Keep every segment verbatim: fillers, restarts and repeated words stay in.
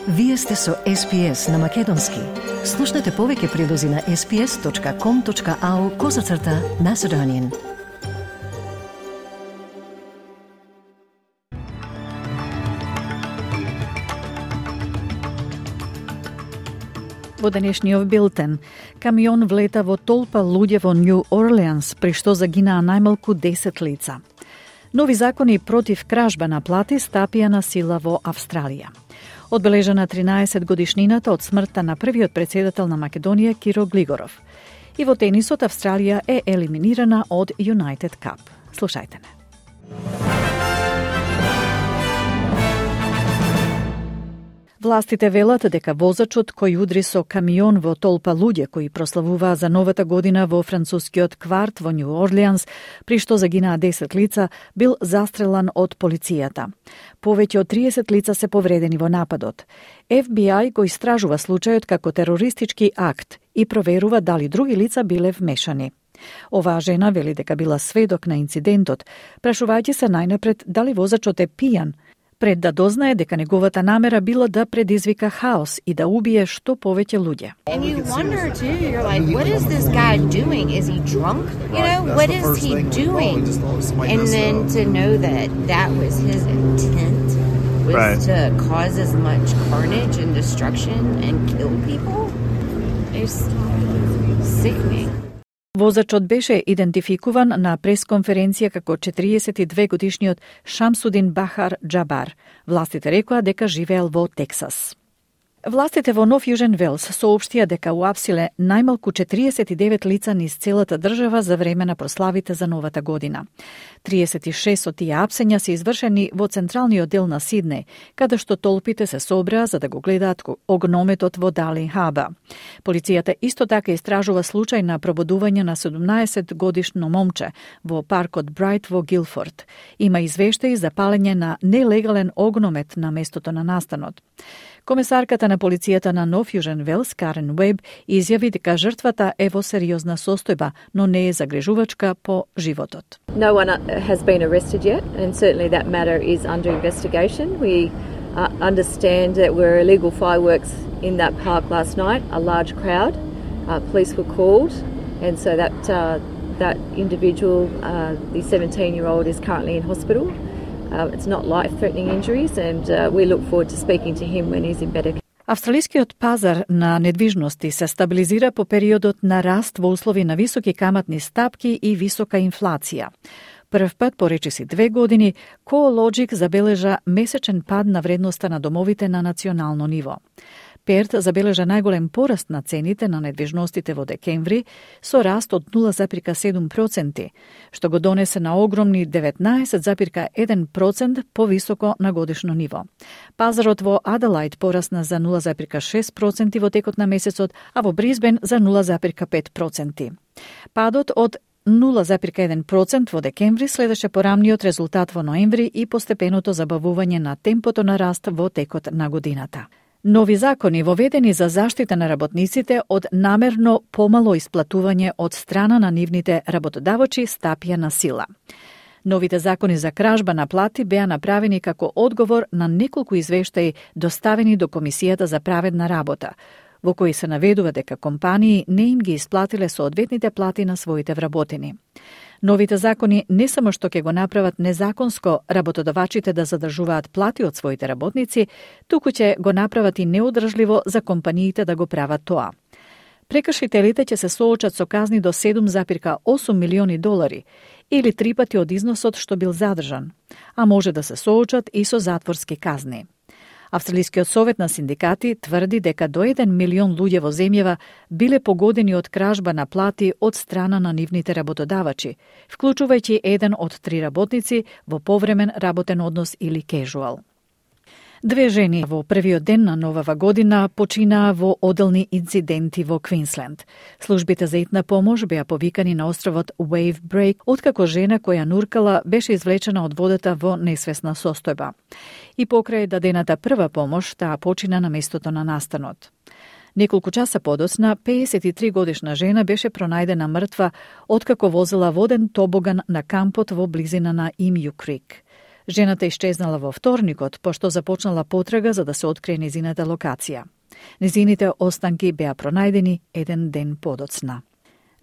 Вие сте со Ес Би Ес на Македонски. Слушнете повеќе прилози на ес би ес точка ком точка ау козацрта Macedonian. Во денешниот билтен, камион влета во толпа луѓе во Нью Орлеанс, при што загинаа најмалку десет лица. Нови закони против кражба на плати стапија на сила во Австралија. Одбележана тринаесет годишнината од смртта на првиот претседател на Македонија Киро Глигоров. И во тенисот Австралија е елиминирана од United Cup. Слушајте не. Властите велат дека возачот кој удри со камион во толпа луѓе кои прославуваа за новата година во францускиот кварт во Нью Орлеанс, при што загинаа десет лица, бил застрелан од полицијата. Повеќе од триесет лица се повредени во нападот. Еф Би Ај го истражува случајот како терористички акт и проверува дали други лица биле вмешани. Оваа жена вели дека била сведок на инцидентот, прашувајќи се најнапред дали возачот е пијан, пред да дознае дека неговата намера била да предизвика хаос и да убие што повеќе луѓе. And you wonder too, you're like, what is this guy doing? Is he drunk? You know, what is he doing? And then to know that that was his intent, was right. to cause as much carnage and destruction and kill people, is sickening. Возачот беше идентификуван на пресконференција како четириесет и две годишниот Шамсудин Бахар Џабар. Властите рекоа дека живеел во Тексас. Властите во Нов Јужен Велс соопштија дека уапсиле најмалку четириесет и девет лица низ целата држава за време на прославите за новата година. триесет и шест од тие апсења се извршени во централниот дел на Сиднеј, каде што толпите се собраа за да го гледаат огнометот во Дали Хаба. Полицијата исто така истражува случај на пробудување на седумнаесет годишно момче во паркот Брайт во Гилфорд. Има извештаи за палење на нелегален огномет на местото на настанот. Комесарката на полицијата на Нов Јужен Велс, Карен Уеб, изјави дека жртвата е во сериозна состојба, но не е загрижувачка по животот. No one has been arrested yet, and certainly that matter is under investigation. We uh, understand that were illegal fireworks in that park last night, a large crowd. Uh, police were called, and so that uh, that individual, uh, the seventeen-year-old, is currently in hospital. Uh, it's not life-threatening injuries, and uh, we look forward to speaking to him when he's in better. Австралискиот пазар на недвижности се стабилизира по периодот на раст во услови на високи каматни стапки и висока инфлација. Прв пат по речиси две години, CoreLogic забележа месечен пад на вредноста на домовите на национално ниво. Перт забележа најголем пораст на цените на недвижностите во декември со раст од нула зарем седум проценти, што го донесе на огромни деветнаесет зарем еден процент повисоко на годишно ниво. Пазарот во Аделајд порасна за нула зарем шест проценти во текот на месецот, а во Бризбен за нула зарем пет проценти. Падот од нула зарем еден процент во декември следеше порамниот резултат во ноември и постепеното забавување на темпото на раст во текот на годината. Нови закони воведени за заштита на работниците од намерно помало исплатување од страна на нивните работодавачи стапија на сила. Новите закони за кражба на плати беа направени како одговор на неколку извештаи доставени до Комисијата за праведна работа, во кои се наведува дека компании не им ги исплатиле соодветните плати на своите вработени. Новите закони не само што ќе го направат незаконско работодавачите да задржуваат плати од своите работници, туку ќе го направат и неодржливо за компаниите да го прават тоа. Прекршителите ќе се соочат со казни до седум зарем осум милиони долари или три пати од износот што бил задржан, а може да се соочат и со затворски казни. Австралискиот совет на синдикати тврди дека до еден милион луѓе во земјава биле погодени од кражба на плати од страна на нивните работодавачи, вклучувајќи еден од три работници во повремен работен однос или кежуал. Две жени во првиот ден на новава година починаа во одделни инциденти во Квинсленд. Службите за итна помош беа повикани на островот Wave Break, откако жена која нуркала беше извлечена од водата во несвесна состојба. И покрај дадената прва помош, таа почина на местото на настанот. Неколку часа подоцна, пеесет и три годишна жена беше пронајдена мртва откако возела воден тобоган на кампот во близина на Имју Крик. Жената исчезнала во вторникот, пошто започнала потрага за да се открие незината локација. Незините останки беа пронајдени еден ден подоцна.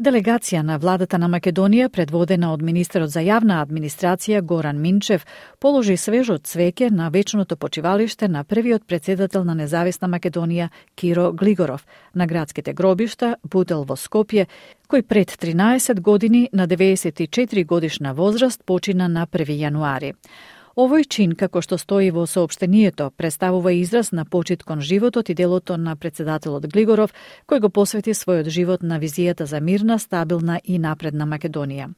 Делегација на владата на Македонија, предводена од министерот за јавна администрација Горан Минчев, положи свежо цвеќе на вечното почивалиште на првиот претседател на независна Македонија Киро Глигоров на градските гробишта Бутел во Скопје, кој пред тринаесет години на деветдесет и четири годишна возраст почина на први јануари. Овој чин, како што стои во соопштението, представува израз на почит кон животот и делото на претседателот Глигоров, кој го посвети својот живот на визијата за мирна, стабилна и напредна Македонија.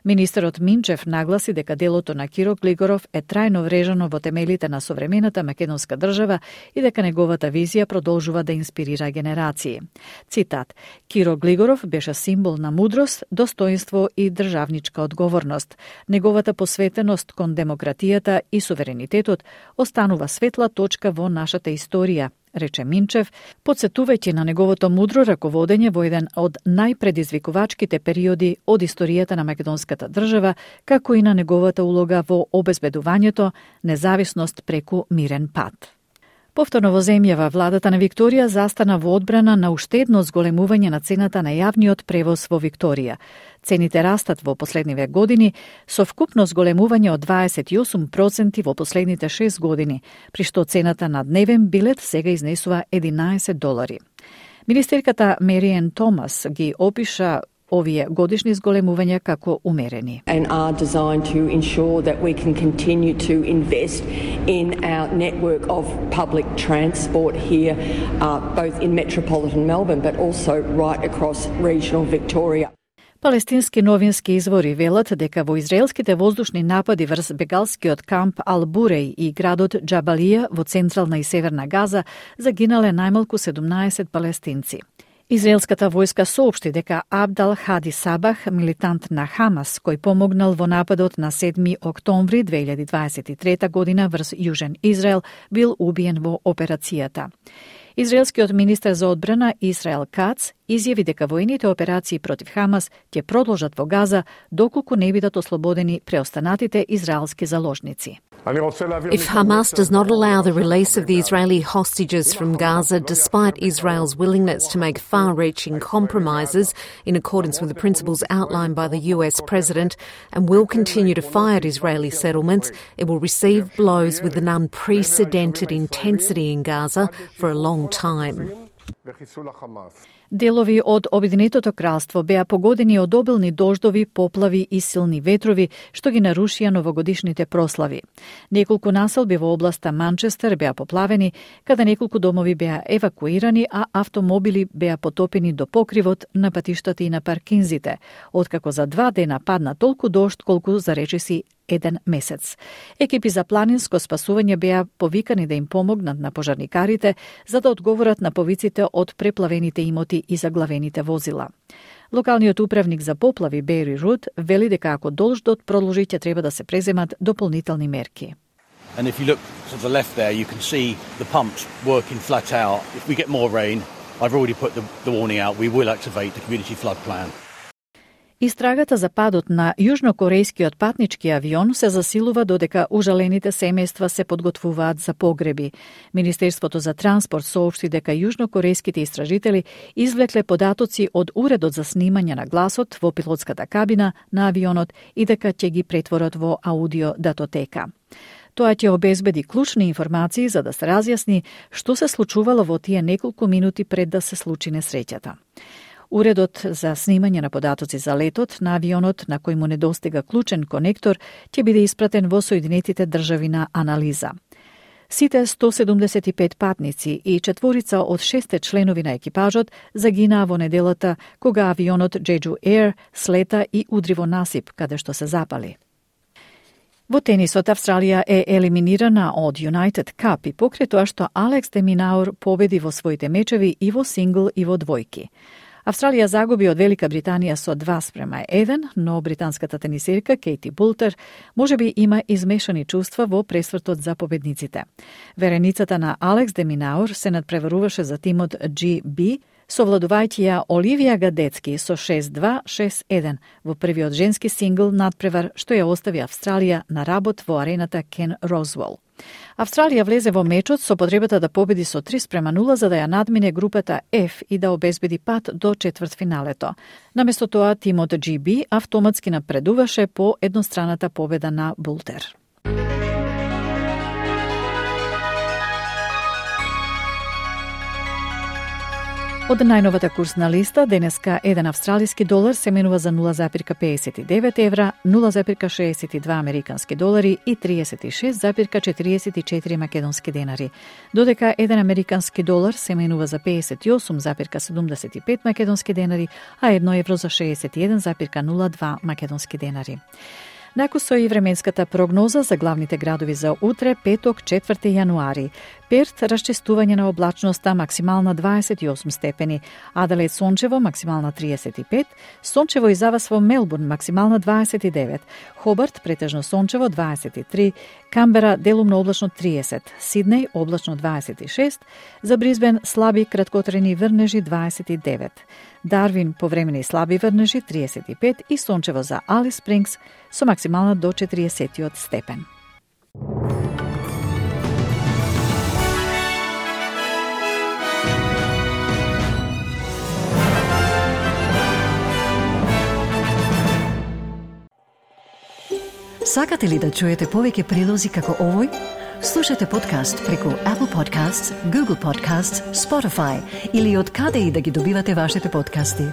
Министерот Минчев нагласи дека делото на Киро Глигоров е трајно врежано во темелите на современата македонска држава и дека неговата визија продолжува да инспирира генерации. Цитат: Киро Глигоров беше символ на мудрост, достоинство и државничка одговорност. Неговата посветеност кон демократијата и суверенитетот останува светла точка во нашата историја, рече Минчев, подсетувајќи на неговото мудро раководење во еден од најпредизвикувачките периоди од историјата на македонската држава, како и на неговата улога во обезбедувањето независност преку мирен пат. Повторно во земјава, владата на Викторија застана во одбрана на уште едно зголемување на цената на јавниот превоз во Викторија. Цените растат во последниве години, со вкупно зголемување од дваесет и осум проценти во последните шест години, при што цената на дневен билет сега изнесува единаесет долари. Министерката Мериен Томас ги опиша овие годишни зголемувања како умерени. And are designed to ensure that we can continue to invest in our network of public transport here, uh, both in metropolitan Melbourne but also right across regional Victoria. Палестински новински извори велат дека во израелските воздушни напади врз бегалскиот камп Ал-Буреј и градот Џабалија во централна и северна Газа загинале најмалку седумнаесет палестинци. Израелската војска соопшти дека Абдал Хади Сабах, милитант на Хамас, кој помогнал во нападот на седми октомври две илјади дваесет и трета година врз Јужен Израел, бил убиен во операцијата. Израелскиот министер за одбрана Исраел Кац изјави дека војните операции против Хамас ќе продолжат во Газа доколку не бидат ослободени преостанатите израелски заложници. If Hamas does not allow the release of the Israeli hostages from Gaza, despite Israel's willingness to make far-reaching compromises in accordance with the principles outlined by the U S President, and will continue to fire at Israeli settlements, it will receive blows with an unprecedented intensity in Gaza for a long time. Делови од Обединетото кралство беа погодени од обилни дождови, поплави и силни ветрови, што ги нарушија новогодишните прослави. Неколку населби во областа Манчестер беа поплавени, каде неколку домови беа евакуирани, а автомобили беа потопени до покривот на патиштата и на паркинзите, откако за два дена падна толку дожд колку за речиси еден месец. Екипи за планинско спасување беа повикани да им помогнат на пожарникарите за да одговорат на повиците од преплавените имоти и заглавените возила. Локалниот управник за поплави Бери Руд вели дека ако дождот продолжи ќе треба да се преземат дополнителни мерки. And if you look to the left there, you can see the pumps working flat out. If we get more rain, I've already put the, the warning out, we will activate the community flood plan. Истрагата за падот на јужнокорејскиот патнички авион се засилува додека ужалените семејства се подготвуваат за погреби. Министерството за транспорт соопшти дека јужнокорејските истражители извлекле податоци од уредот за снимање на гласот во пилотската кабина на авионот и дека ќе ги претворат во аудио датотека. Тоа ќе обезбеди клучни информации за да се разјасни што се случувало во тие неколку минути пред да се случи несреќата. Уредот за снимање на податоци за летот на авионот на кој му недостига клучен конектор ќе биде испратен во Соединетите држави на анализа. Сите сто седумдесет и пет патници и четворица од шесте членови на екипажот загинаа во неделата кога авионот Jeju Air слета и удри во насип каде што се запали. Во тенисот Австралија е елиминирана од United Cup и покрај тоа што Алекс де Минаур победи во своите мечеви и во сингл и во двојки. Австралија загуби од Велика Британија со два спрема еден, но британската тенисерка Кейти Бултер можеби има измешани чувства во пресвртот за победниците. Вереницата на Алекс де Минаур се надпреваруваше за тимот Джи Би, совладувајќи ја Оливија Гадецки со шест два шест еден во првиот женски сингл надпревар што ја остави Австралија на работ во арената Кен Розвел. Австралија влезе во мечот со потребата да победи со три спрема нула за да ја надмине групата F и да обезбеди пат до четвртфиналето. Наместо тоа, тимот Джи Би автоматски напредуваше по едностраната победа на Бултер. Од најновата курсна листа, денеска еден австралиски долар се менува за нула запирка педесет и девет евра, нула запирка шеесет и два американски долари и триесет и шест запирка четириесет и четири македонски денари, додека еден американски долар се менува за педесет и осум запирка седумдесет и пет македонски денари, а едно евро за шеесет и еден запирка нула два македонски денари. Накусо и временската прогноза за главните градови за утре, петок, четврти јануари. Перт, расчистување на облачноста, максимална дваесет и осум степени. Аделаид сончево, максимална триесет и пет. Сончево и завас во Мелбурн, максимална дваесет и девет. Хобарт, претежно сончево, дваесет и три. Камбера, делумно облачно триесет. Сиднеј, облачно дваесет и шест. За Бризбен, слаби краткотрени врнежи дваесет и девет. Дарвин, повремени слаби врнежи триесет и пет и сончево за Алис Спрингс со максимална до четириесетиот степен. Сакате ли да чуете повеќе прилози како овој? Слушате подкаст преку Apple Podcasts, Google Podcasts, Spotify или од каде и да ги добивате вашите подкасти.